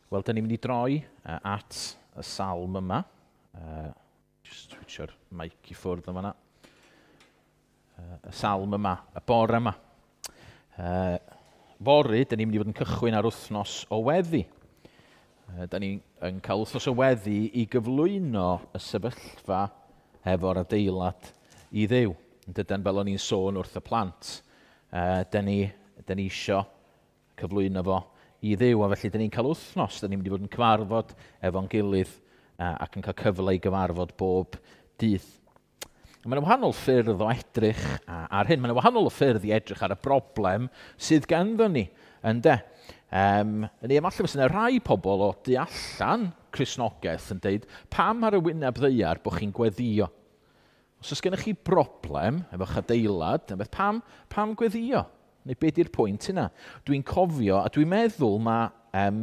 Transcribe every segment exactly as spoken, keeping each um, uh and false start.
Wel, da ni'n mynd i droi uh, at y salm yma. Uh, just switcho'r mic i ffwrdd yma. Uh, y salm yma, y bore yma. Uh, fory, da ni'n mynd i fod yn cychwyn ar wythnos o weddi. Uh, da ni'n yn cael wythnos o weddi i gyflwyno y sefyllfa efo'r adeilad i Dduw. Dydan fel o'n i'n sôn wrth y plant. Uh, da ni, da ni isio cyflwyno fo i Dduw, a felly da ni'n cael wythnos, da ni'n mynd i fod yn cyfarfod efo'n gilydd uh, ac yn cael cyfle i gyfarfod bob dydd. Mae'n wahanol ffyrdd o edrych ar hyn, mae'n wahanol o ffyrdd i edrych ar y broblem sydd ganddo ni, ynde? Um, neu efallai fysa yna rai pobl o du allan Cristnogaeth yn deud, pam ar y wyneb ddaear bod chi'n gweddio? Os oes gennych chi broblem efo'ch adeilad, beth, pam, pam gweddio? Neu be di'r pwynt yna? Dwi'n cofio, a dwi'n meddwl mae um,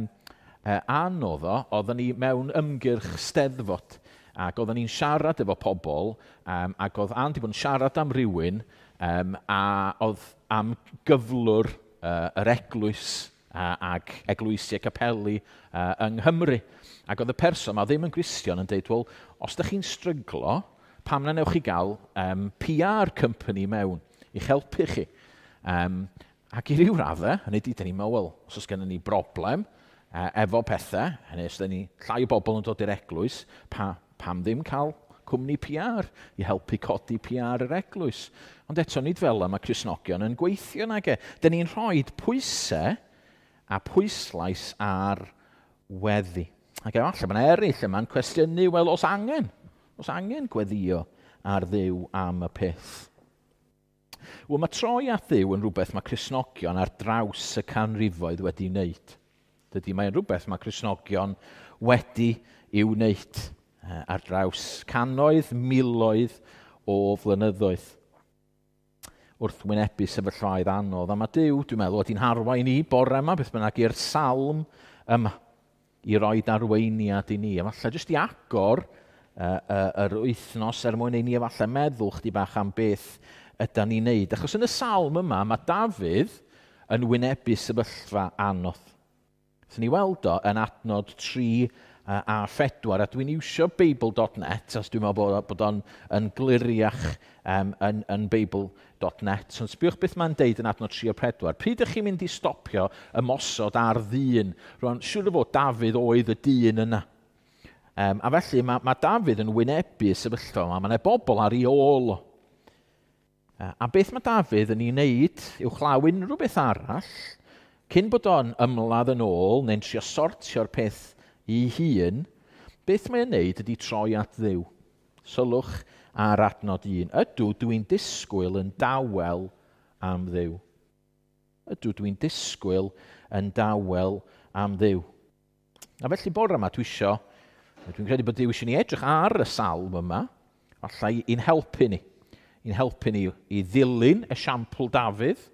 uh, anodd o, oedden ni mewn ymgyrch steddfod, ac oedden ni'n siarad efo pobl, um, ac oedd Ann 'di bod yn siarad am rywun, um, a oedd am gyflwr uh, yr eglwys uh, ac eglwysi a capeli uh, yng Nghymru. Ac oedd y person ma ddim yn Gristion yn deud, wel, os ydych chi'n stryglo, pam na newch chi gael um, P R company mewn i'ch helpu chi? Um, ac i ryw raddau, hynny ydy, dyn ni'n meddwl, wel, os oes gennym ni broblem uh, efo pethau, hynny os dyn ni llai o bobl yn dod i'r eglwys, pa, pam ddim cael cwmni P R i helpu codi P R yr eglwys? Ond eto, nid fel yma mae Cristnogion yn gweithio nag e. Dyn ni'n rhoi pwysau a pwyslais ar weddi. Ac efallai mae yna eraill yma'n cwestiynu, wel, os angen, os angen gweddio ar Dduw am y peth. Wel, mae troi at Dduw yn rhywbeth mae Cristnogion ar draws y canrifoedd wedi wneud. Dydy, mae'n rhywbeth mae Cristnogion wedi i'w wneud ar draws cannoedd, miloedd o flynyddoedd wrth wynebu sefyllfaoedd anodd. A mae Duw, dwi'n meddwl, wedi'n harwain ni bore yma, beth bynnag, i'r salm yma, i roi arweiniad i ni. A falle jyst i agor uh, uh, yr wythnos er mwyn i ni efallai meddwl chdi bach am beth ydan ni'n neud. Achos yn y salm yma, mae Dafydd yn wynebu sefyllfa anodd. So ni weld o yn adnod tri a phedwar, a dwi'n iwsio Bible dot net, os dwi'n meddwl bod, bod o'n yn gliriach um, yn, yn Bible dot net. Ond sbiwch beth mae'n deud yn adnod tri a pedwar. Pryd ydych chi'n mynd i stopio ymosod ar ddyn? Rwan, siŵr o fod Dafydd oedd y dyn yna. Um, a felly mae, mae Dafydd yn wynebu y sefyllfa yma. Mae yna bobl ar ei ôl o. A beth mae Dafydd yn ei wneud uwchlaw unrhyw beth arall, cyn bod o'n ymladd yn ôl neu'n trio sortio'r peth i hun, beth mae'n wneud ydy troi at Dduw. Sylwch ar adnod un. Ydw, dwi'n disgwyl yn dawel am Dduw. Ydw, dwi'n disgwyl yn dawel am Dduw. A felly bore yma dwi isio, dwi'n credu bod Duw eisiau ni edrych ar y salm yma, allai i'n helpu ni. I'n helpu ni i ddilyn esiampl Dafydd,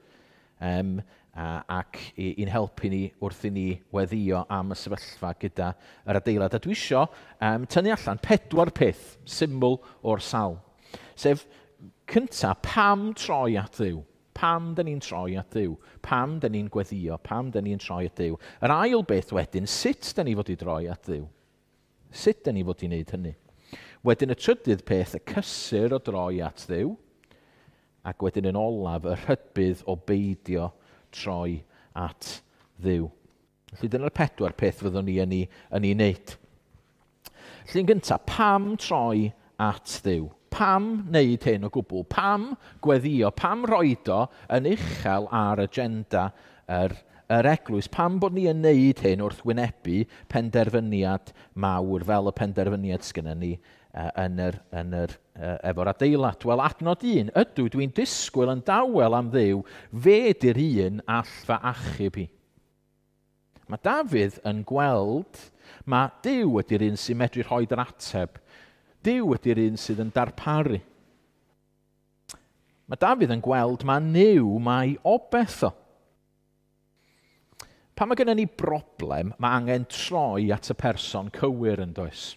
um, a, ac i'n helpu ni wrth i ni weddio am y sefyllfa gyda yr adeilad. A dwi isio um, tynnu allan pedwar peth syml o'r salm. Sef, cynta, pam troi at Dduw? Pam dyn ni'n troi at Dduw? Pam dyn ni'n gweddio? Pam dyn ni'n troi at Dduw? Yr ail beth wedyn, sut dyn ni fod i droi at Dduw? Sut dyn ni fod i wneud hynny? Wedyn y trydydd peth, y cysur o droi at Dduw, ac wedyn yn olaf, y rhybudd o beidio troi at Dduw. Felly dyna'r pedwar peth fyddwn ni yn ei, yn ei wneud. Felly yn gyntaf, pam troi at Dduw? Pam wneud hyn o gwbl? Pam gweddio? Pam roed o yn uchel ar agenda yr, yr eglwys? Pam bod ni yn wneud hyn wrth wynebu penderfyniad mawr fel y penderfyniad sgynnon ni uh, yn yr, yn yr, uh, efo'r adeilad? Wel, adnod un, ydw, dwi'n disgwyl yn dawel am Dduw, fe di'r un all fy achub i. Mae Dafydd yn gweld, mae Duw ydy'r un sy'n medru rhoi'r ateb. Duw ydy'r un sydd yn darparu. Mae Dafydd yn gweld mae Nuw, mae obeth o. Pan mae gennym ni broblem, mae angen troi at y person cywir yn does.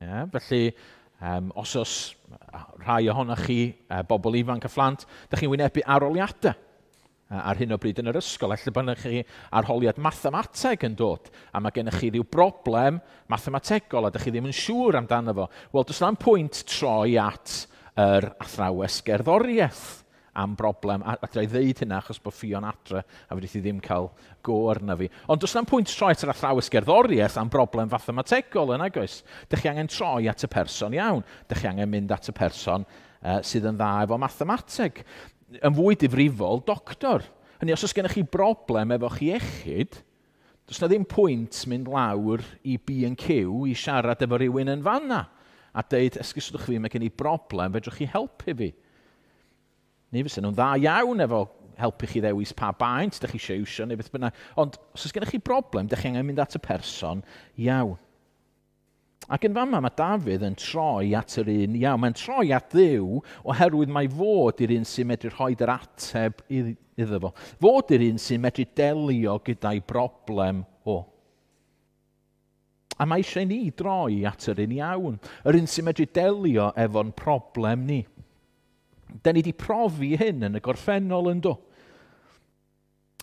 Yeah, felly, um, os oes rhai ohonoch chi, uh, bobl ifanc a phlant, dych chi'n wynebu arholiadau. ar hyn o bryd yn yr ysgol. Ella bod chi arholiad mathemateg yn dod, a mae gennych chi ryw broblem mathemategol a dych chi ddim yn siŵr amdano fo. Wel, does na'm pwynt troi at yr athrawes gerddoriaeth am broblem. A, a dwi ddeud hynna achos bod Ffion adre a fedrith hi ddim cael go arna fi. Ond does na'm pwynt troi at yr athrawes gerddoriaeth am broblem fathemategol yn oes. Dych chi angen troi at y person iawn. Dych chi angen mynd at y person uh, sydd yn dda efo mathemateg. Yn fwy difrifol, doctor. Hynny, os oes gennych chi broblem efo'ch iechyd, does na ddim pwynt mynd lawr i B and Q i siarad efo rhywun yn fanna a deud, esgusodwch fi, mae gen i broblem, fedrwch chi helpu fi. Neu fysa nhw'n dda iawn efo helpu chi ddewis pa baent ydych chi eisiau iwsio neu beth bynnag. Ond os oes gennych chi broblem, ydych chi angen mynd at y person iawn. Ac yn fama mae Dafydd yn troi at yr un iawn. Mae'n troi at Dduw oherwydd mae fod i'r un sy'n medru rhoi yr ateb iddo fo. Fod i'r un sy'n medru delio gyda'i broblem o. A mae eisiau ni droi at yr un iawn. Yr un sy'n medru delio efo'n problem ni. Da ni wedi profi hyn yn y gorffennol yn do.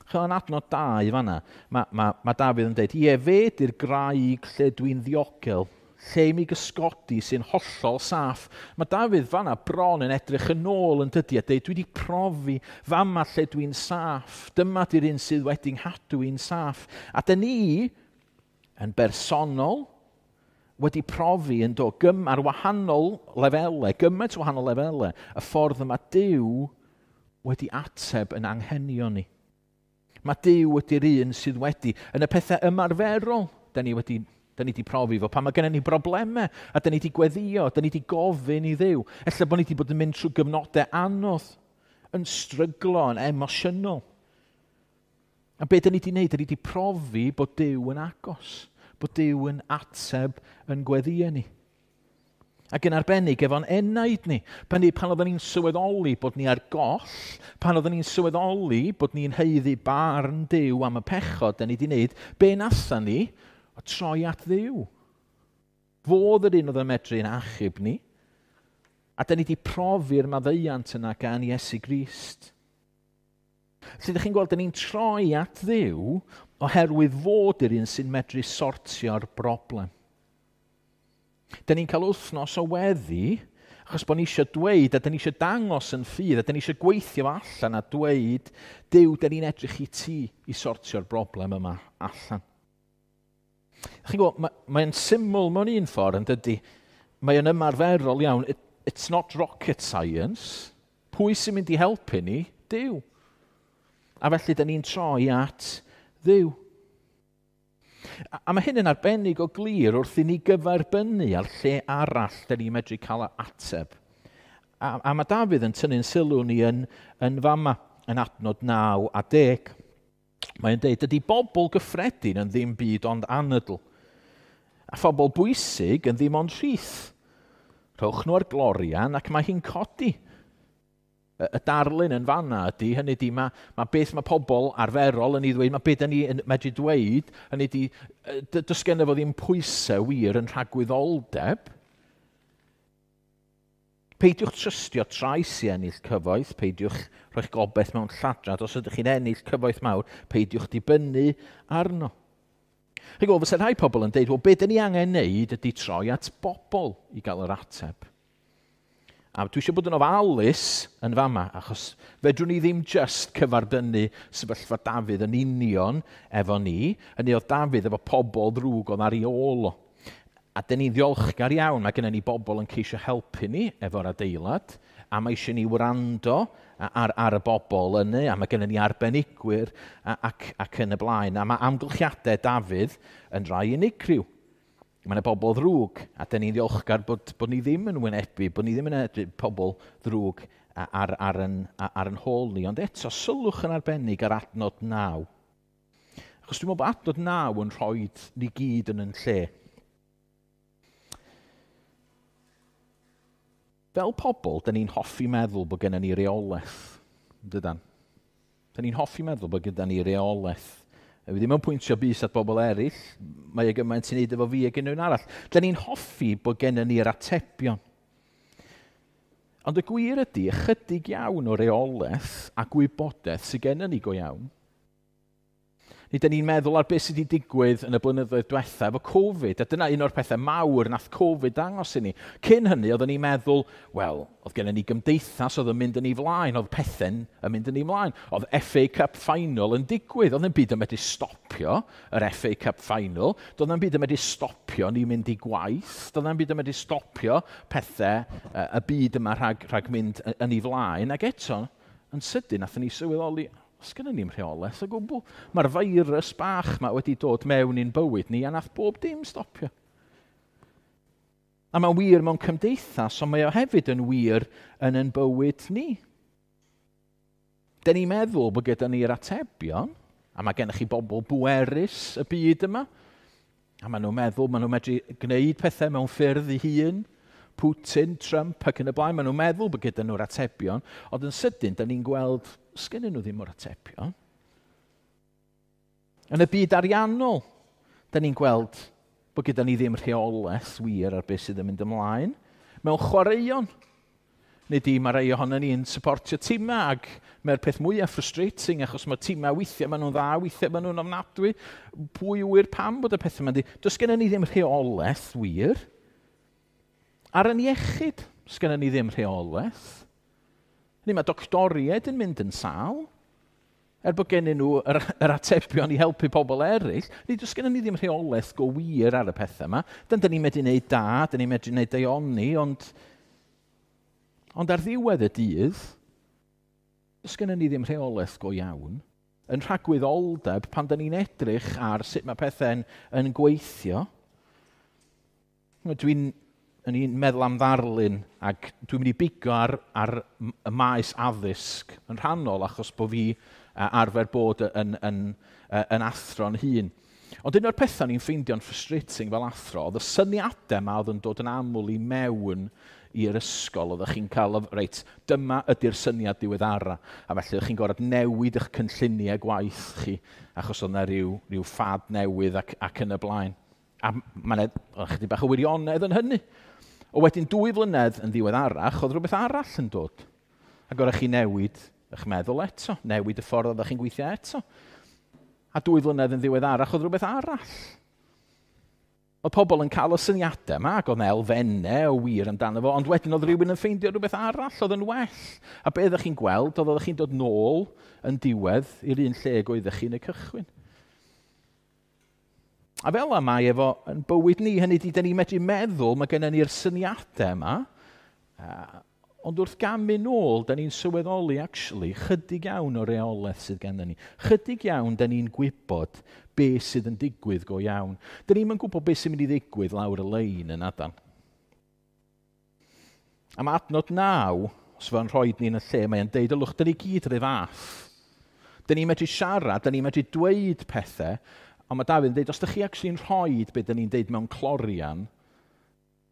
Ch'od, yn adnod dau fanna, mae, mae, mae Dafydd yn dweud, ie, fe di'r graig lle dwi'n ddiogel, lle i mi gysgodi sy'n hollol saff. Mae Dafydd fanna bron yn edrych yn ôl yn dydi a dweud, dwi wedi profi fama lle dwi'n saff. Dyma di'r un sydd wedi nghadw i'n saff. A dyn ni, yn bersonol, wedi profi yn do, gym, ar wahanol lefelau, gymaint o wahanol lefelau, y ffordd yma Duw wedi ateb yn anghenion ni. Mae Duw ydy'r un sydd wedi, yn y pethau ymarferol, da ni wedi, da ni wedi profi fo, pan mae gennym ni broblemau, a da ni wedi gweddio, da ni wedi gofyn i Dduw. Ella bod ni wedi bod yn mynd trwy gyfnodau anodd, yn stryglo, yn emosiynol. A be da ni wedi wneud, da ni wedi profi bod Duw yn agos, bod Duw yn ateb yn gweddio ni. Ac yn arbennig efo'n enaid ni. Pan, ni, pan oedden ni'n sylweddoli bod ni ar goll, pan oedden ni'n sylweddoli bod ni'n haeddu barn Duw am y pechod da ni wedi wneud, be natha ni? O troi at Dduw. Fodd yr un oedd yn medru yn achub ni. A da ni wedi profi'r maddeuant yna gan Iesu Grist. Felly, ydych chi'n gweld, da ni'n troi at Dduw oherwydd fod yr un sy'n medru sortio'r broblem. Da ni'n cael wythnos o weddi, achos bod ni eisiau dweud, a da ni eisiau dangos yn ffydd, a da ni eisiau gweithio allan a dweud, Duw, da ni'n edrych i ti i sortio'r broblem yma allan. Chi'n gwybod, mae'n mae syml mewn un ffordd yn dydy, mae'n ymarferol iawn, It, it's not rocket science. Pwy sy'n mynd i helpu ni? Duw. A felly, da ni'n troi at Dduw. A, a mae hyn yn arbennig o glir wrth i ni gyferbynnu ar lle arall da ni'n medru cael ateb. A, a mae Dafydd yn tynnu'n sylw ni yn, yn fama, yn adnod naw a deg. Mae'n deud, dydy bobl gyffredin yn ddim byd ond anadl, a phobl bwysig yn ddim ond rhith. Rhowch nhw ar glorian ac mae hi'n codi. Y darlun yn fanna ydy, hynny ydy, mae, mae beth mae pobl arferol yn ei ddweud, mae beth ni yn medru dweud, hynny ydy, does genno fo ddim pwysau wir yn rhagwyddoldeb. Peidiwch trystio trais i ennill cyfoeth, peidiwch rhoi'ch gobaith mewn lladrad. Os ydych chi'n ennill cyfoeth mawr, peidiwch dibynnu arno. Chi'n gwybod, fysa rhai pobl yn deud, wel, be dyn ni angen neud ydy troi at bobl i gael yr ateb. A dwi eisiau bod yn ofalus yn fama, achos fedrwn ni ddim just cyfarbynnu sefyllfa Dafydd yn union efo ni. Hynny oedd Dafydd efo pobl ddrwg oedd ar ei ôl o. A dyn ni'n ddiolchgar iawn, mae gennym ni bobl yn ceisio helpu ni efo'r adeilad, a mae eisiau ni wrando ar, ar y bobl yny, a mae gennym ni arbenigwyr ac, ac yn y blaen. A mae amgylchiadau Dafydd yn rai unigryw. Mae yna bobl ddrwg, a dyn ni'n ddiolchgar bod, bod ni ddim yn wynebu, bod ni ddim yn wynebu pobl ddrwg ar, ar, yn, ar yn hôl ni. Ond eto, sylwch yn arbennig ar adnod naw. Achos dwi'n meddwl bod adnod naw yn rhoi ni gyd yn yn lle. Fel pobl, dyn ni'n hoffi meddwl bod gennym ni reolaeth. Dydan? Dyn ni'n hoffi meddwl bod gyda ni reolaeth. Dwi ddim yn pwyntio bys at bobl eraill, mae e gymaint i wneud efo fi ag unrhyw un arall. Dyn ni'n hoffi bod gennym ni'r atebion. Ond y gwir ydy, ychydig iawn o reolaeth a gwybodaeth sydd gennym ni go iawn. Nid ni'n meddwl ar beth sydd wedi digwydd yn y blynyddoedd diwetha efo Covid, a dyna un o'r pethau mawr nath Covid dangos i ni. Cyn hynny, oedden ni'n meddwl, wel, oedd gennym ni gymdeithas oedd yn mynd yn ei flaen, oedd pethau'n yn mynd yn ei flaen. Oedd F A Cup Final yn digwydd, oedd yn byd yn medru stopio yr F A Cup Final, doedd yn byd yn medru stopio ni mynd i gwaith, doedd yn byd yn medru stopio pethau y byd yma rhag, rhag mynd yn ei flaen, ac eto, yn sydyn, nathon ni sylweddoli, os gynnon ni'm rheolaeth o gwbl. Mae'r feirws bach yma wedi dod mewn i'n bywyd ni a nath bob dim stopio. A mae'n wir mewn cymdeithas, ond mae o hefyd yn wir yn ein bywyd ni. Dyn ni'n meddwl bod gyda ni'r atebion, a mae gennych chi bobl bwerus y byd yma, a maen nhw'n meddwl, maen nhw'n medru gwneud pethau mewn ffyrdd eu hun, Putin, Trump ac yn y blaen, maen nhw'n meddwl bod gyda nhw'r atebion, ond yn sydyn, da ni'n gweld, sgynnyn nhw ddim o'r atebion. Yn y byd ariannol, da ni'n gweld bod gyda ni ddim rheolaeth wir ar beth sydd yn mynd ymlaen. Mewn chwaraeon, nid i mae rhai ohonon ni'n supportio timau, ac mae'r peth mwyaf frustrating, achos mae timau weithiau maen nhw'n dda, weithiau maen nhw'n ofnadwy. Pwy ŵyr pam bod y pethau yma'n di? Does gennym ni ddim rheolaeth wir. Ar yn iechyd, sgynnon ni ddim rheolaeth. Ni mae doctoriaid yn mynd yn sâl, er bod gennyn nhw yr, yr atebion i helpu pobl eraill, ni does gennyn ni ddim rheolaeth go wir ar y pethau yma. Dyn ni'n medru gwneud da, dyn ni'n medru gwneud daioni, ond, ond ar ddiwedd y dydd, does gennyn ni ddim rheolaeth go iawn. Yn rhagwyddoldeb, pan dyn ni'n edrych ar sut mae pethau'n yn gweithio, dwi'n Yn i'n meddwl am ddarlun, ac dwi'n mynd i bigo ar, ar y maes addysg yn rhannol, achos bod fi arfer bod yn, yn, yn athro'n hun. Ond un o'r pethau ni'n ffeindio'n frustrating fel athro, oedd y syniadau yma oedd yn dod yn aml i mewn i'r ysgol. Oeddech chi'n cael, reit, dyma ydy'r syniad diweddara, a felly oeddech chi'n gorfod newid eich cynlluniau gwaith chi, achos oedd yna rhyw, rhyw ffad newydd ac, ac yn y blaen. A mae'n chydig bach o wirionedd yn hynny. O wedyn dwy flynedd yn ddiweddarach, oedd rhywbeth arall yn dod. Ac oeddech chi newid eich meddwl eto, newid y ffordd oeddech chi'n gweithio eto. A dwy flynedd yn ddiweddarach, oedd rhywbeth arall. Oedd pobl yn cael y syniadau yma, ac oedd yna elfennau o wir amdano fo, ond wedyn oedd rhywun yn ffeindio rhywbeth arall oedd yn well. A be oeddech chi'n gweld, oedd oeddech chi'n dod nôl yn diwedd i'r un lle oeddech chi'n y cychwyn. A fel yma mae efo yn bywyd ni, hynny ydy, da ni'n medru meddwl, mae gennym ni'r syniadau yma, ond wrth gamu nôl, da ni'n sylweddoli, actually, chydig iawn o reolaeth sydd gennym ni. Chydig iawn, da ni'n gwybod beth sydd yn digwydd go iawn. Da ni'n gwybod beth sy'n mynd i ddigwydd lawr y lein yn adan. A mae adnod naw, os fo'n rhoi ni yn y lle, mae'n deud, ylwch, da ni gyd rhyw fath. Da ni'n medru siarad, da ni'n medru dweud pethau, ond mae Dafydd yn dweud, os ydych chi actually'n rhoi beth dyn ni'n deud mewn clorian,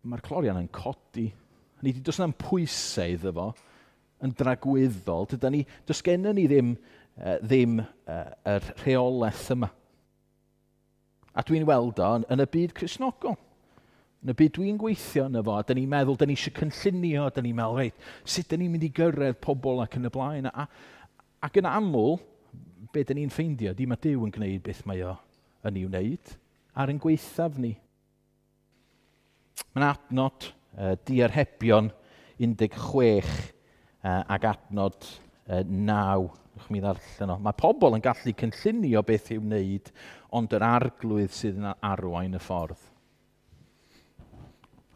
mae'r clorian yn codi. Ni di, does na'm pwysau iddo fo yn dragwyddol. Dydan ni, does gennym ni ddim, uh, ddim uh, yr rheolaeth yma. A dwi'n weld o yn, yn y byd Cristnogol. Yn y byd dwi'n gweithio yno fo, a dyn ni'n meddwl, dyn ni eisiau cynllunio, dyn ni'n meddwl, reit, sut dyn ni'n mynd i gyrraedd pobl ac yn y blaen. A, ac yn aml, be dyn ni'n ffeindio, di mae Duw yn gwneud beth mae o yn ei wneud ar ein gwaethaf ni. Mae'n adnod uh, diarhebion un deg chwech uh, ac adnod uh, naw. Ewch mi ddarllen o. Mae pobl yn gallu cynllunio beth i'w wneud, ond yr arglwydd sydd yn arwain y ffordd.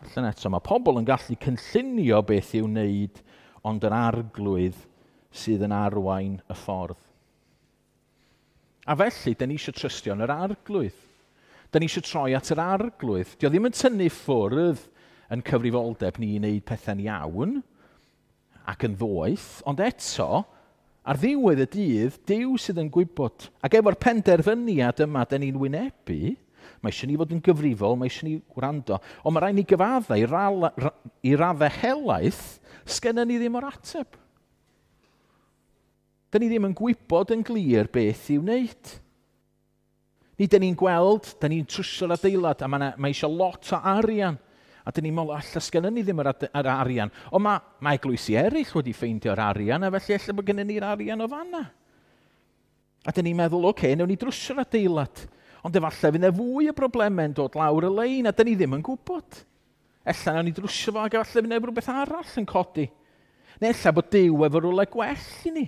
Allan eto, mae pobl yn gallu cynllunio beth i'w wneud, ond yr arglwydd sydd yn arwain y ffordd. A felly, da ni eisiau trystio yn yr arglwydd. Da ni eisiau troi at yr arglwydd. Dio ddim yn tynnu ffwrdd yn cyfrifoldeb ni i wneud pethau'n iawn ac yn ddoeth, ond eto, ar ddiwedd y dydd, Duw sydd yn gwybod. Ac efo'r penderfyniad yma da ni'n wynebu, mae eisiau ni fod yn gyfrifol, mae eisiau ni gwrando, ond mae rhaid ni gyfaddau i, ra- i raddau helaeth, sgenna ni ddim o'r ateb. Da ni ddim yn gwybod yn glir beth i'w wneud. Ni, da ni'n gweld, da ni'n trwsio'r adeilad, a mae, mae eisiau lot o arian. A dyn ni'n meddwl, alla sgynnon ni ddim yr, yr arian. Ond mae, mae eglwysi eraill wedi ffeindio'r arian, a felly ella bod gennym ni'r arian o fanna. A dyn ni'n meddwl, oce, okay, newn ni drwsio'r adeilad. Ond efallai fydd yna fwy o broblemau yn dod lawr y lein, a dyn ni ddim yn gwybod. Ella newn ni drwsio fo, ac efallai fydd yna rhywbeth arall yn codi. Neu ella bod Duw efo rhywle gwell i ni.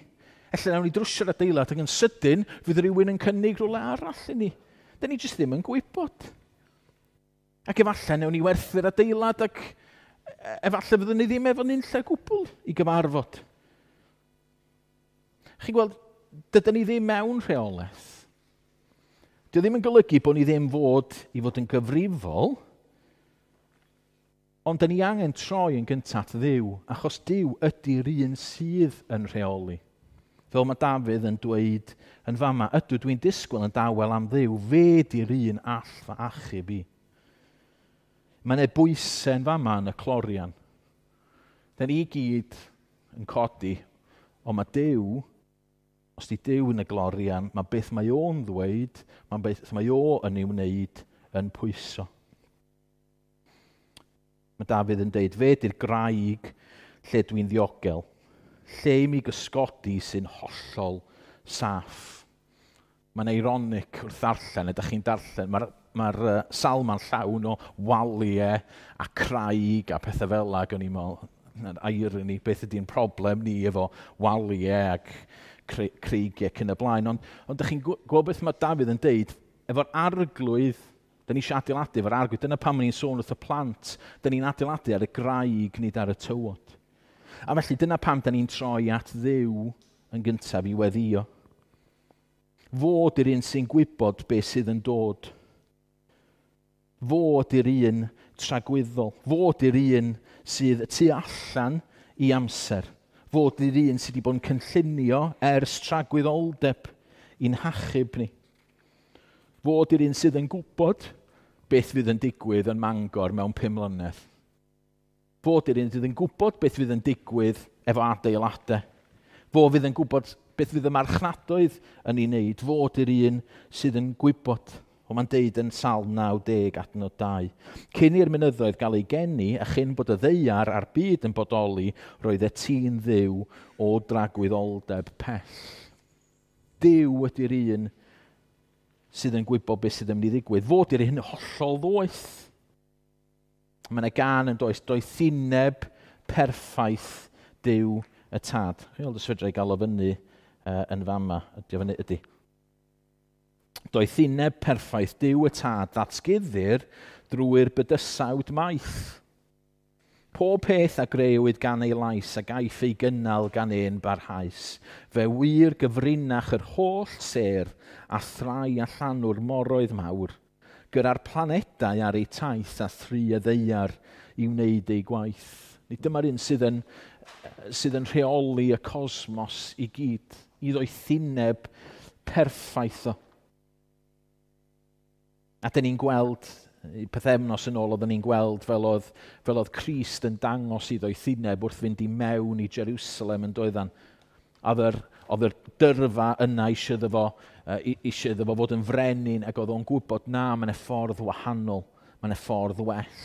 Ella newn ni drwsio'r adeilad ac yn sydyn fydd rhywun yn cynnig rhywle arall i ni. Dyn ni jyst ddim yn gwybod. Ac efallai newn ni werthu'r adeilad ac efallai fyddwn ni ddim efo nunlle gwbl i gyfarfod. Chi'n gweld, dydyn ni ddim mewn rheolaeth. Dio ddim yn golygu bod ni ddim fod i fod yn gyfrifol, ond dyn ni angen troi yn gyntaf at Dduw, achos Duw ydy'r un sydd yn rheoli. Fel mae Dafydd yn dweud yn fama, ydw dwi'n disgwyl yn dawel am Dduw, fe di'r un all fy achub i. Mae yna bwysau yn fama yn y clorian. Dyn ni gyd yn codi, ond mae Duw, os di Duw yn y glorian, mae beth mae o'n ddweud, mae beth mae o yn ei wneud yn pwyso. Mae Dafydd yn deud, fe di'r graig lle dwi'n ddiogel, lle i mi gysgodi sy'n hollol saff. Mae'n ironic wrth ddarllen, ydych chi'n darllen, mae'r mae'r uh, salma'n llawn o waliau a craig a pethau fel 'na, ac o'n i'n meddwl, na'r irony, beth ydy'n problem ni efo waliau ac creigiau ac yn y blaen. Ond, ond ydych chi'n gweld beth mae Dafydd yn deud, efo'r arglwydd, dyn ni eisiau adeiladu efo'r arglwydd, dyna pam ni'n sôn wrth y plant, dyn ni'n adeiladu ar y graig, nid ar y tywod. A felly dyna pam dyn ni'n troi at Dduw yn gyntaf i weddio. Fod i'r un sy'n gwybod beth sydd yn dod. Fod i'r un tragwyddol. Fod i'r un sydd tu allan i amser. Fod i'r un sydd wedi bod yn cynllunio ers tragwyddoldeb i'n hachub ni. Fod i'r un sydd yn gwybod beth fydd yn digwydd yn Mangor mewn pum mlynedd. Fod i'r un sydd yn gwybod beth fydd yn digwydd efo adeiladau. Fo fydd yn gwybod beth fydd y marchnadoedd yn ei wneud. Fod i'r un sydd yn gwybod. O mae'n deud yn Salm naw deg adnod dau. Cyn i'r mynyddoedd gael ei geni a chyn bod y ddaear a'r byd yn bodoli, roedd y tîn Dduw o dragwyddoldeb pell. Duw ydy'r un sydd yn gwybod beth sydd yn mynd i ddigwydd. Fod i'r un hollol ddoeth. Mae yna gan yn does, doethineb perffaith Duw y Tad. Chi'n gweld os fedra i gael o fyny uh, yn fama. Ydy o fyny? Ydy. Doethineb perffaith Duw y Tad ddatguddir drwy'r bydysawd maith. Pob peth a grëwyd gan ei lais a gaiff ei gynnal gan ein barhaus. Fe wir gyfrinach yr holl sêr a thrai allanw'r moroedd mawr, gyda'r planedau ar ei taith a thri y ddaear i wneud ei gwaith. Nid dyma'r un sydd yn, sydd yn rheoli y cosmos i gyd, i ddoethineb perffaith o. A dyn ni'n gweld, pythefnos yn ôl oedden ni'n gweld fel oedd, fel oedd Crist yn dangos i ddoethineb wrth fynd i mewn i Jerusalem yn doeddan. Oedd yr, oedd yr dyrfa yna eisiau iddo fo, eisiau iddo fo fod yn frenin ac oedd o'n gwybod na, mae'n ffordd wahanol, mae'n ffordd well.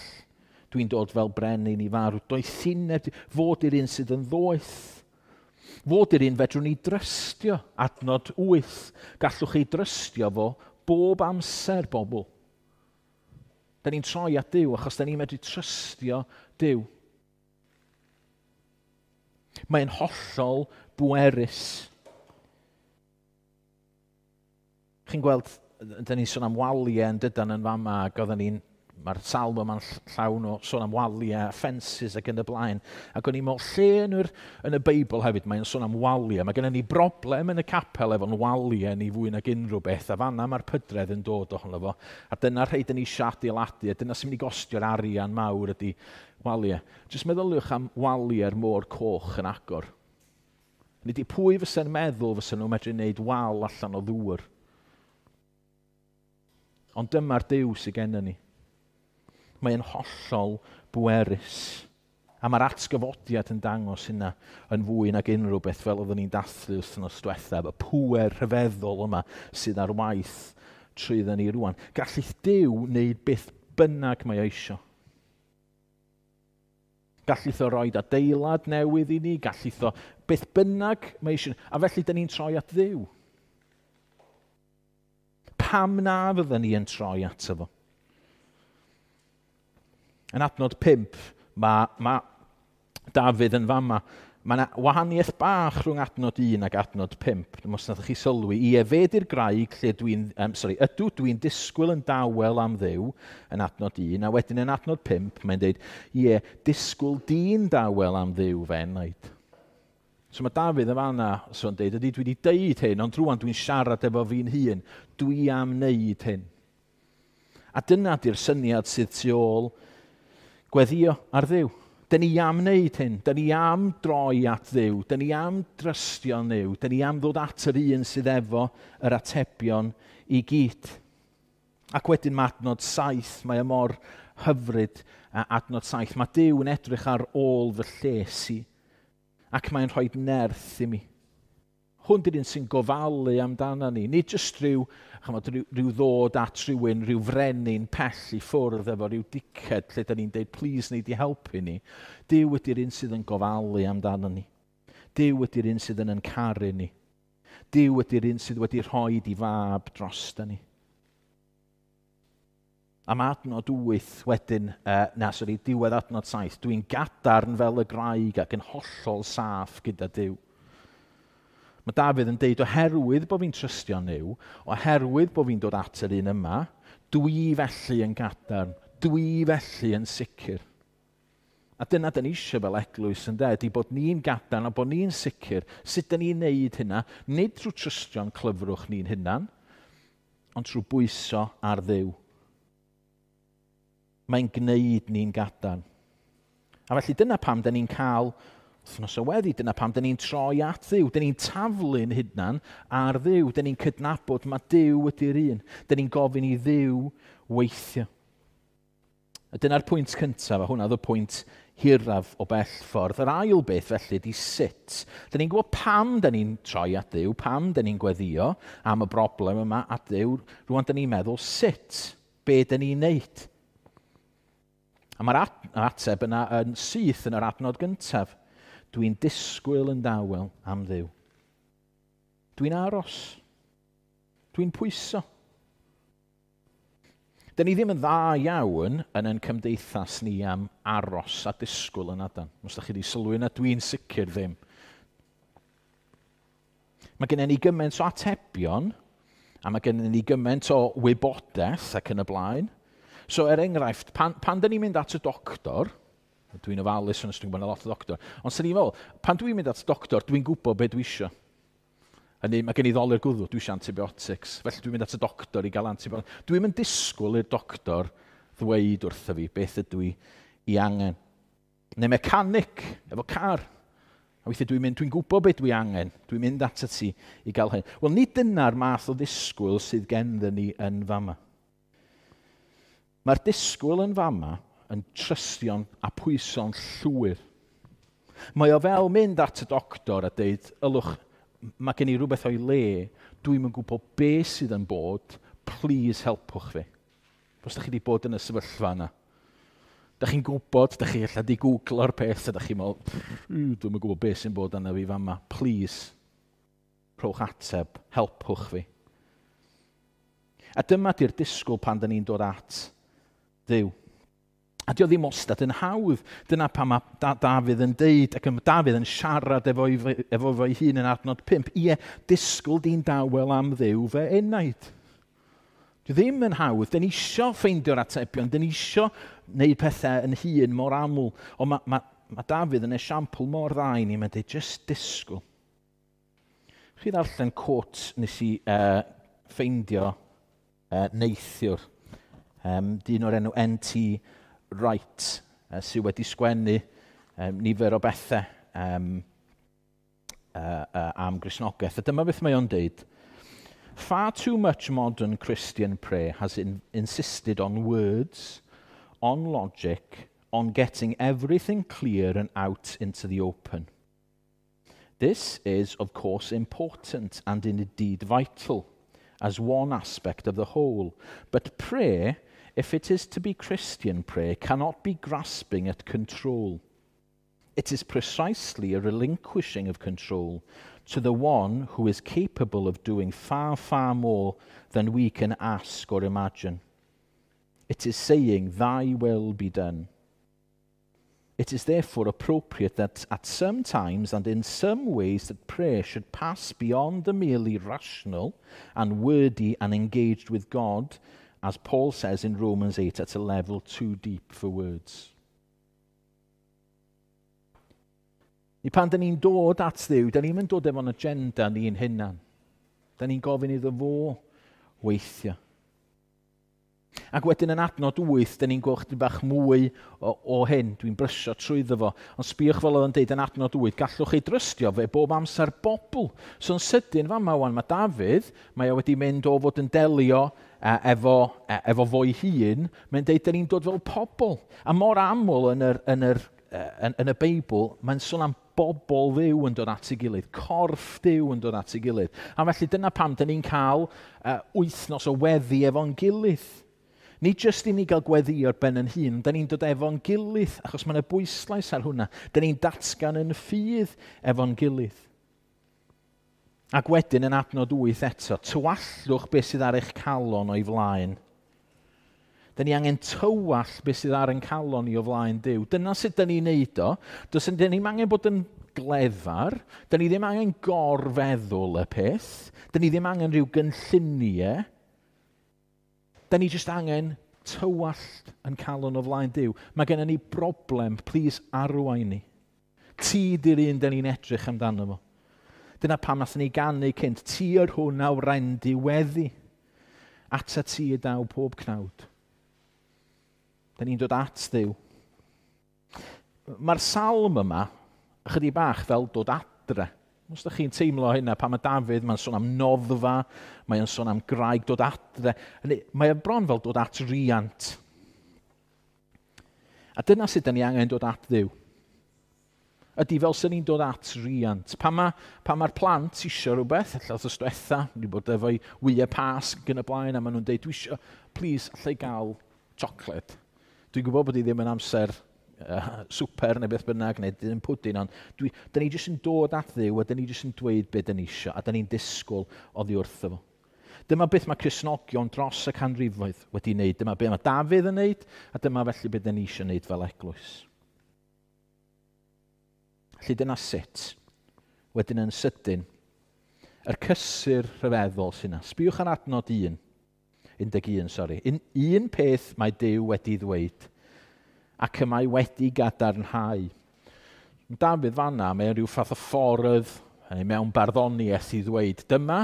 Dwi'n dod fel brenin i farw. Doethineb, fod i'r un sydd yn ddoeth. Fod i'r un fedrwn ni drystio, adnod wyth. Gallwch chi drystio fo bob amser, bobl. Da ni'n troi at Duw achos da ni'n medru trystio Duw. Mae'n hollol bwerus. Chi'n gweld, da ni'n sôn am waliau yn dydan yn fama, ac oedden ni'n, mae'r salm yma'n llawn o sôn am waliau, fences ac yn y blaen. Ac o'n i'n meddwl, lle yn, yr, yn y Beibl hefyd, mae'n sôn am waliau. Mae gennym ni broblem yn y capel efo'n waliau ni fwy nag unrhyw beth, a fanna mae'r pydredd yn dod ohono fo. A dyna rhai dyn ni eisiau adeiladu, a dyna sy'n mynd i gostio'r arian mawr ydy waliau. Jyst meddyliwch am waliau'r môr coch yn agor. Nid i pwy fysa'n meddwl fysa nhw'n medru wneud wal allan o ddŵr. Ond dyma'r Duw sydd gennym ni. Mae'n hollol bwerus. A mae'r atgyfodiad yn dangos hynna yn fwy nag unrhyw beth fel oeddwn ni'n dathlu wythnos diwethaf. Y pŵer rhyfeddol yma sydd ar waith trwyddo ni rwan. Gallith Duw wneud beth bynnag mae o eisio. Gallith o roed adeilad newydd i ni, gallith o beth bynnag mae eisiau. A felly, dyn ni'n troi at Dduw. Pam na fydden ni yn troi ato fo? Yn adnod pump, mae, mae Dafydd yn fama. Mae yna wahaniaeth bach rhwng adnod un ac adnod pump. Os nath chi sylwi, ie, fe di'r graig lle dwi'n, um, sorry, ydw dwi'n disgwyl yn dawel am Dduw yn adnod un, a wedyn yn adnod pump, mae'n dweud, ie, disgwyl di'n dawel am Dduw fe enaid. So mae Dafydd yn fanna, so'n dweud, ydy dwi wedi deud hyn, ond rwan dwi'n siarad efo fi'n hun, dwi am wneud hyn. A dyna di'r syniad sydd tu ôl gweddio ar Dduw. Dyn ni am wneud hyn. Dyn ni am droi at Dduw. Dyn ni am drystio Nuw. Dyn ni am ddod at yr un sydd efo yr atebion i gyd. Ac wedyn mae adnod saith, mae e mor hyfryd adnod saith. Mae Duw yn edrych ar ôl fy lles i ac mae'n rhoi nerth i mi. Hwn di'r un sy'n gofalu amdano ni. Nid jyst rhyw, chymod, rhyw, rhyw ddod at rhywun, rhyw frenin pell i ffwrdd efo rhyw diced lle da ni'n deud, please, nei di helpu ni. Duw ydy'r un sydd yn gofalu amdano ni. Duw ydy'r un sydd yn yn caru ni. Duw ydy'r un sydd wedi rhoi di fab dros ni. A mae adnod wyth wedyn, uh, na, sori, diwedd adnod saith, dwi'n gadarn fel y graig ac yn hollol saff gyda Duw. Mae Dafydd yn deud, oherwydd bod fi'n trystio Nuw, oherwydd bod fi'n dod at yr un yma, dwi felly yn gadarn, dwi felly yn sicr. A dyna dyn ni eisiau fel eglwys yn de, ydy bod ni'n gadarn a bod ni'n sicr. Sut dyn ni'n neud hynna? Nid trwy trystio'n clyfrwch ni'n hunan, ond trwy bwyso ar Dduw. Mae'n gwneud ni'n gadarn. A felly dyna pam dyn ni'n cael wythnos o weddi, dyna pam dyn ni'n troi at Dduw. Dyn ni'n taflu'n hunan ar Dduw. Dyn ni'n cydnabod mae Duw ydy'r un. Dyn ni'n gofyn i Dduw weithio. A dyna'r pwynt cyntaf, a hwnna oedd y pwynt hiraf o bell ffordd. Yr ail beth felly ydy sut. Dyn ni'n gwybod pam dyn ni'n troi at Dduw, pam dyn ni'n gweddio am y broblem yma at Dduw. Rwan dyn ni'n meddwl sut, be dyn ni'n neud. A mae'r ateb yna yn syth yn yr adnod gyntaf. Dwi'n disgwyl yn dawel am Dduw. Dwi'n aros. Dwi'n pwyso. Dyn ni ddim yn dda iawn yn ein cymdeithas ni am aros a disgwyl yn adan. Os da chi wedi sylwi yna, dwi'n sicr ddim. Mae gennym ni gymaint o atebion, a mae gennym ni gymaint o wybodaeth ac yn y blaen. So, er enghraifft, pan, pan dyn ni'n mynd at y doctor, dwi'n ofalus ond dwi'n gwybod lot o doctor, ond sy'n ni'n meddwl, pan dwi'n mynd at y doctor, dwi'n gwybod beth dwi isio. Hynny, mae gen i ddolur gwddw, dwi eisiau antibiotics. Felly dwi'n mynd at y doctor i gael antibiotics. Dwi'n mynd disgwyl i'r doctor ddweud wrtho fi beth ydw i i angen. Neu mechanic, efo car. A weithiau dwi'n mynd, dwi'n gwybod beth dwi angen. Dwi'n mynd at y ti i gael hyn. Wel, nid dyna'r math o ddisgwyl sydd genddyn ni yn fama. Mae'r disgwyl yn fama yn trystio'n a pwyso'n llwyr. Mae o fel mynd at y doctor a deud, ylwch, mae gen i rhywbeth o'i le, dwi'n yn gwybod beth sydd yn bod, please helpwch fi. Os da chi wedi bod yn y sefyllfa yna. Da chi'n gwybod, da chi ella di googlo'r peth, a da chi'n meddwl, dwi'n yn gwybod beth sy'n bod yna fi fama. Please, rhowch ateb, helpwch fi. A dyma di'r disgwyl pan da ni'n dod at Dduw. A dio ddim wastad yn hawdd. Dyna pan mae da Dafydd yn deud, ac mae Dafydd yn siarad efo, efo fo'i hun yn adnod pump. Ie, disgwyl di'n dawel am Dduw fe enaid. Dio ddim yn hawdd. Dyn ni isio ffeindio'r atebion. Dyn ni isio wneud pethau yn hun mor aml. Ond mae, mae, mae Dafydd yn esiampl mor dda i ni. Mae'n deud, just disgwyl. Chi ddarllen quote nes i uh, ffeindio uh, neithiwr. Um, dyn o'r enw N T Wright, uh, sydd wedi sgwennu um, nifer o bethau um, uh, uh, am Gristnogaeth. A dyma beth mae o'n deud. Far too much modern Christian prayer has in insisted on words, on logic, on getting everything clear and out into the open. This is, of course, important and indeed vital as one aspect of the whole. But prayer, if it is to be Christian prayer, cannot be grasping at control. It is precisely a relinquishing of control to the one who is capable of doing far, far more than we can ask or imagine. It is saying, "Thy will be done." It is therefore appropriate that at some times and in some ways that prayer should pass beyond the merely rational and wordy and engaged with God, as Paul says in Romans eight, at a level too deep for words. Ni pan dyn ni'n dod at Dduw, dyn ni'n dod efo'n agenda ni'n hunan. Dyn ni'n gofyn iddo fo weithio. Ac wedyn yn adnod wyth, dyn ni'n gweld chydig bach mwy o, o hyn. Dwi'n brysio trwyddo fo. Ond sbïwch fel oedd yn deud yn adnod wyth, gallwch chi drystio fe bob amser bobl. So yn sydyn fama wan, mae Dafydd, mae o wedi mynd o fod yn delio uh, efo, uh, efo fo'i hun, mae'n deud dyn ni'n dod fel pobl. A mor aml yn, yr, yn, yr, uh, yn, yn y Beibl, mae'n sôn am bobl Dduw yn dod at ei gilydd, corff Duw yn dod at ei gilydd. A felly dyna pam dyn ni'n cael uh, wythnos o weddi efo'n gilydd. Nid jyst i ni gael gweddi ar ben yn hun, da ni'n dod efo'n gilydd, achos mae yna bwyslais ar hwnna. Da ni'n datgan yn ffydd efo'n gilydd. Ac wedyn yn adnod wyth eto, tywallwch beth sydd ar eich calon o'i flaen. Da ni angen tywall beth sydd ar ein calon ni o flaen Duw. Dyna sut da ni'n neud o. Does da ni'n angen bod yn glefar. Da ni ddim angen gorfeddwl y peth. Da ni ddim angen rhyw gynlluniau. Da ni jyst angen tywallt yn calon o flaen Duw. Mae gennym ni broblem, please arwain ni. Ti di'r un da ni'n edrych amdano fo. Dyna pam nathon ni ganu cynt, ti yr hwn a wrendy weddi. Ata ti y daw pob cnawd. Da ni'n dod at Dduw. Mae'r salm yma, ychydig bach fel dod adre. Os ydych chi'n teimlo hynna, pan mae Dafydd, mae'n sôn am noddfa, mae'n sôn am graig, dod adre. Mae o bron fel dod at riant. A dyna sut da ni angen dod at Dduw. Ydy fel sy'n ni'n dod at riant. Pan mae'r pan ma plant isio rhywbeth, ella wrth diwetha, wedi bod efo'i wyau Pasg yn y blaen, a maen nhw'n deud, dwi isio, please, allai gael chocolate. Dwi'n gwybod bod hi ddim yn amser uh, swper neu beth bynnag, neu ddim pwdin, ond dwi, da ni jyst yn dod at Dduw, a da ni jyst yn dweud beth da ni isio, a da ni'n disgwyl oddi wrtho fo. Dyma beth mae Cristnogion dros y canrifoedd wedi wneud. Dyma beth mae Dafydd yn wneud, a dyma felly beth da ni eisiau wneud fel eglwys. Felly dyna sut, wedyn yn sydyn, yr cysur rhyfeddol sy'n yna. Sbïwch ar adnod un, un un, sori. Un, un peth mae Duw wedi ddweud, ac y mae wedi gadarnhau. Dafydd fanna, mae'n rhyw fath o ffordd mewn barddoniaeth i ddweud, dyma,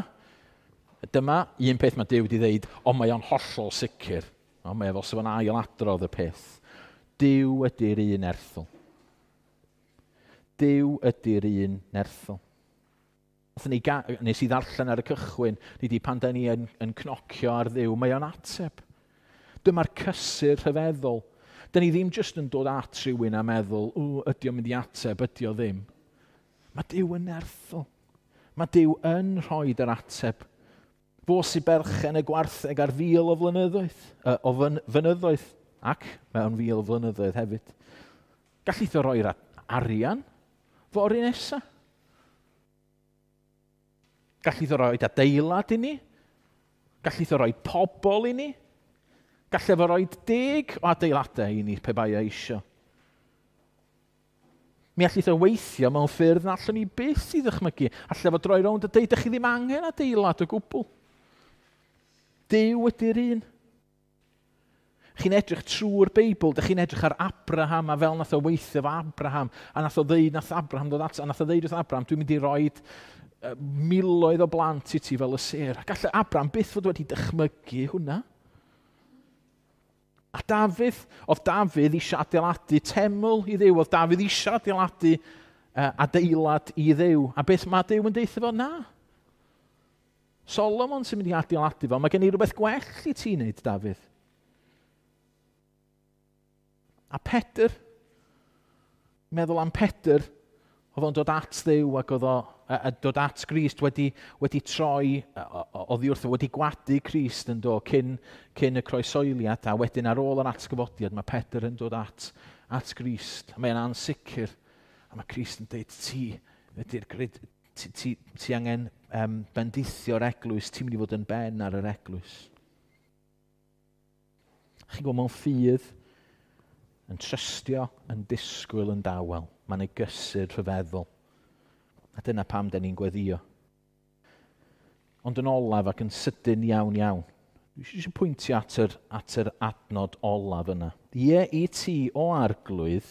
dyma un peth mae Duw wedi ddweud, ond mae o'n hollol sicr. O, mae o fel sef o'n ail adrodd y peth. Duw ydy'r un erthol. Duw ydy'r un nerthol. Ni nes i ddarllen ar y cychwyn, ni di pan da ni yn, yn cnocio ar Dduw, mae o'n ateb. Dyma'r cysur rhyfeddol. Da ni ddim jyst yn dod at rhywun a meddwl, o, ydy o'n mynd i ateb, ydy o ddim. Mae Duw yn nerthol. Mae Duw yn rhoi yr ateb. Fo sy'n berchen y gwartheg ar fil o flynyddoedd, uh, o fyn, fynyddoedd, ac mewn fil o flynyddoedd hefyd. Gallith o roi'r arian fory nesa. Gallith o roi adeilad i ni. Gallith o roi pobl i ni. Gallai fo roi deg o adeiladau i ni pe bai o eisio. Mi allith o weithio mewn ffyrdd na allwn ni byth i ddychmygu. Allai fo droi rownd a deud, ydych chi ddim angen adeilad o gwbl. Duw ydy'r un. Chi'n edrych trwy'r Beibl, dych chi'n edrych ar Abraham a fel nath o weithio fo Abraham, a nath o ddeud, nath Abraham dod at, a nath o ddeud wrth Abraham, dwi'n mynd i roid uh, miloedd o blant i ti fel y sêr. A gallai Abraham byth fod wedi dychmygu hwnna. A Dafydd, oedd Dafydd eisiau adeiladu teml i Dduw, oedd Dafydd eisiau adeiladu uh, adeilad i Dduw. A beth mae Duw yn deutha fo? Na. Solomon sy'n mynd i adeiladu fo. Mae gen i rhywbeth gwell i ti wneud, Dafydd. A Pedr, meddwl am Pedr, oedd o'n dod at Dduw ac oedd o, a, a dod at Grist wedi, wedi troi oddi wrtho, wedi gwadu Crist yn do cyn, cyn y croesoeliad, a wedyn ar ôl yr atgyfodiad mae Pedr yn dod at, at Grist. Mae'n ansicr. A mae Crist yn dweud, ti ydy'r grid, ti, ti, ti angen um, bendithio'r eglwys, ti'n mynd i fod yn ben ar yr eglwys. Chi'n gwybod, mewn ffydd, yn trystio, yn disgwyl yn dawel. Mae'n ei gysur rhyfeddol. A dyna pam da ni'n gweddio. Ond yn olaf ac yn sydyn iawn iawn, dwi eisiau pwyntio at yr, at yr adnod olaf yna. Ie i ti o arglwydd,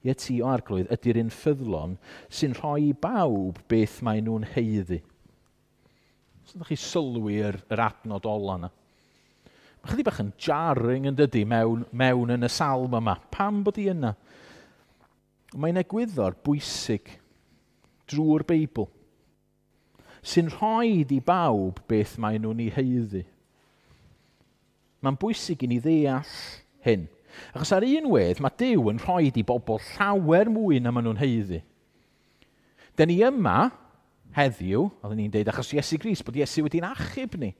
ie ti o arglwydd ydy'r un ffyddlon sy'n rhoi i bawb beth maen nhw'n haeddu. Os ydych chi sylwi yr, yr adnod ola yna. Mae chydig bach yn jarring yn dydy mewn, mewn yn y salm yma. Pam bod i yna? Mae'n egwyddor bwysig drwy'r Beibl sy'n rhoi i bawb beth maen nhw'n ei haeddu. Mae'n bwysig i ni ddeall hyn. Achos ar un wedd, mae Duw yn rhoi i bobl llawer mwy na maen nhw'n haeddu. Dyn ni yma heddiw, oedden ni'n deud, achos Iesu Grist, bod Iesu wedi'n achub ni.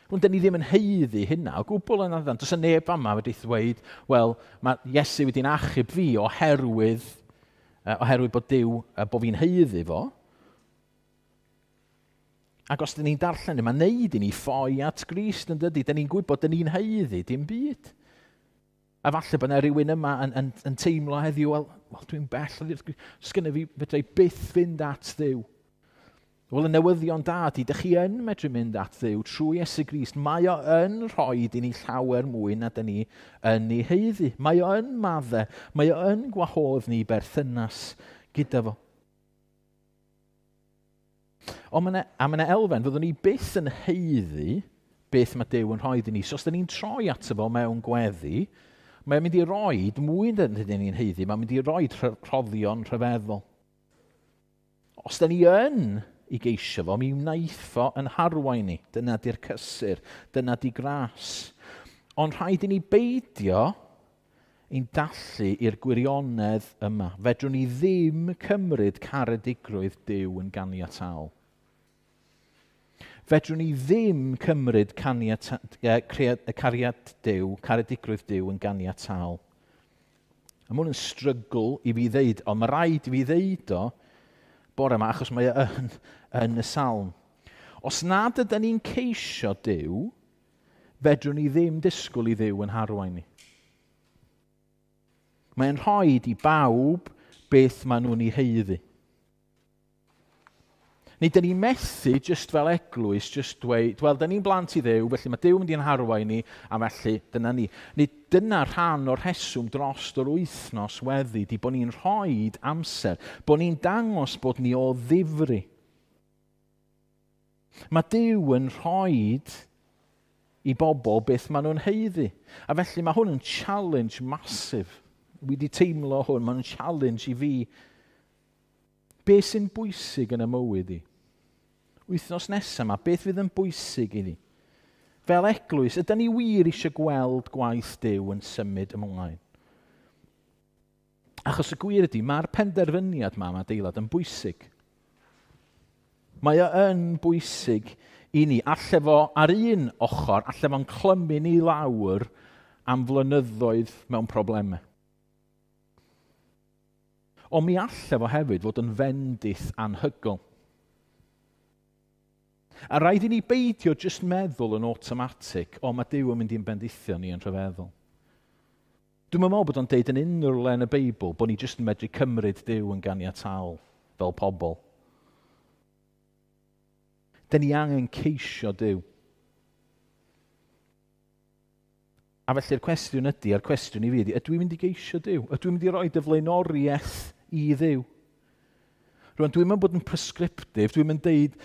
Rwy'n dyn ni ddim yn haeddu hynna o gwbl yn addan. Does y neb yma wedi ddweud, wel, mae Iesu wedi'n achub fi oherwydd, uh, oherwydd bod Duw, uh, bod fi'n haeddu fo. Ac os dyn ni'n darllen, mae'n neud i ni ffoi at Grist yn dydy. Dyn ni'n gwybod dyn ni'n haeddu dim byd. A falle bod yna rhywun yma yn, yn, yn teimlo heddiw, wel, well, dwi'n bell, sgynna fi, fedra i byth fynd at Dduw. Wel, y newyddion da ydy, dych chi yn medru mynd at Dduw trwy Iesu Grist. Mae o yn rhoi i ni llawer mwy na dyn ni yn ei haeddu. Mae o yn madde, mae o yn gwahodd ni berthynas gyda fo. Ond mae yna, a mae yna elfen, fyddwn ni byth yn haeddu beth mae Duw yn rhoi i ni. So os dyn ni'n troi ato fo mewn gweddi, mae'n mynd i roi mwy na dyn ni'n haeddu, mae'n mynd i roi rhoddion rhyfeddol. Os dyn ni yn i geisio fo, mi wnaeth o yn harwain ni. Dyna di'r cysur, dyna di gras. Ond rhaid i ni beidio ein dallu i'r gwirionedd yma. Fedrwn ni ddim cymryd caredigrwydd Duw yn ganiataol. Fedrwn ni ddim cymryd caniata, cariad Duw, caredigrwydd Duw yn ganiataol. A mae hwn yn struggle i fi ddeud, ond mae rhaid i fi ddeud o bore yma, achos mae o yn, yn y salm. Os nad ydyn ni'n ceisio Duw, fedrwn ni ddim disgwyl i Dduw yn harwain ni. Mae'n rhoi i bawb beth maen nhw'n ei haeddu. Neu dyn ni'n methu, just fel eglwys, just dweud, wel, dyn ni'n blant i Dduw, felly mae Duw mynd i'n harwain ni, a felly dyna ni. Neu dyna rhan o'r rheswm dros yr wythnos weddi, di bod ni'n rhoi amser, bod ni'n dangos bod ni o ddifri. Mae Duw yn rhoi i bobl beth maen nhw'n haeddu. A felly mae hwn yn challenge massive. Wi wedi teimlo hwn, mae'n challenge i fi. Be sy'n bwysig yn y mywyd i? Wythnos nesaf yma, beth fydd yn bwysig i ni? Fel eglwys, ydyn ni wir eisiau gweld gwaith Duw yn symud ymlaen? Achos y gwir ydy, mae'r penderfyniad yma am adeilad yn bwysig. Mae o yn bwysig i ni. Alle fo ar un ochr, alle fo'n clymu ni lawr am flynyddoedd mewn problemau. Ond mi alle fo hefyd fod yn fendith anhygoel. A rhaid i ni beidio jyst meddwl yn automatic, o mae Duw yn mynd i'n bendithio ni yn rhyfeddol. Dwi'n meddwl bod o'n deud yn unrhyw le yn y Beibl bod ni jyst yn medru cymryd Duw yn ganiataol fel pobl. Dyn ni angen ceisio Duw. A felly'r cwestiwn ydy, a'r cwestiwn i fi ydy, ydw i'n mynd i geisio Duw? Ydw i'n mynd i roi dy flaenoriaeth i Dduw? Rwan, dwi'n mynd bod yn prescriptive, dwi'n mynd deud,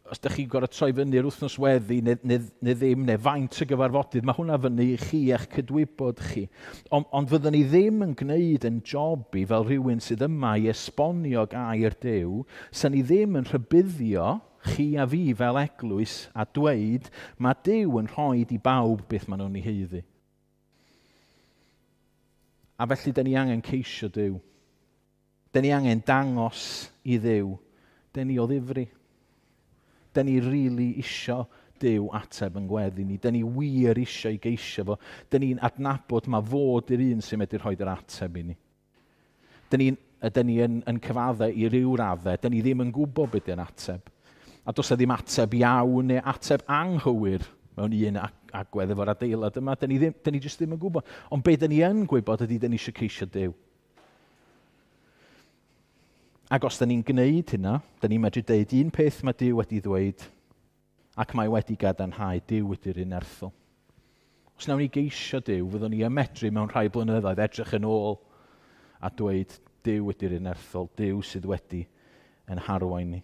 os ydych chi'n gorfod troi fyny'r wythnos weddi neu, neu, neu ddim, neu faint o gyfarfodydd, mae hwnna fyny i chi a'ch cydwybod chi. Ond, ond fyddwn ni ddim yn gwneud yn job i fel rhywun sydd yma i esbonio gair Duw, sy'n ni ddim yn rhybuddio chi a fi fel eglwys a dweud mae Duw yn rhoi i bawb beth maen nhw'n ei haeddu. A felly, dyn ni angen ceisio Duw. Dyn ni angen dangos i Dduw. Dyn ni o ddifri. Dyn ni rili really isio Duw ateb yn gweddi ni. Dyn ni wir isio i geisio fo. Dyn ni'n adnabod mae fod i'r un sy'n medru rhoi'r ateb i ni. Dyn ni'n ydyn ni yn, yn cyfaddau i ryw raddau, dyn ni ddim yn gwybod beth yw'n ateb. A does e ddim ateb iawn neu ateb anghywir mewn un agwedd efo'r adeilad yma. Dyn ni, ddim, dyn ni jyst ddim yn gwybod. Ond be dyn ni yn gwybod ydy dyn ni eisiau ceisio Duw. Ac os dyn ni'n gwneud hynna, dyn ni'n medru deud un peth mae Duw wedi ddweud, ac mae wedi gadarnhau Duw ydy'r un erthol. Os nawn ni geisio Duw, fyddwn ni ymedru mewn rhai blynyddoedd edrych yn ôl a dweud Duw ydy'r un erthol, Duw sydd wedi yn harwain ni.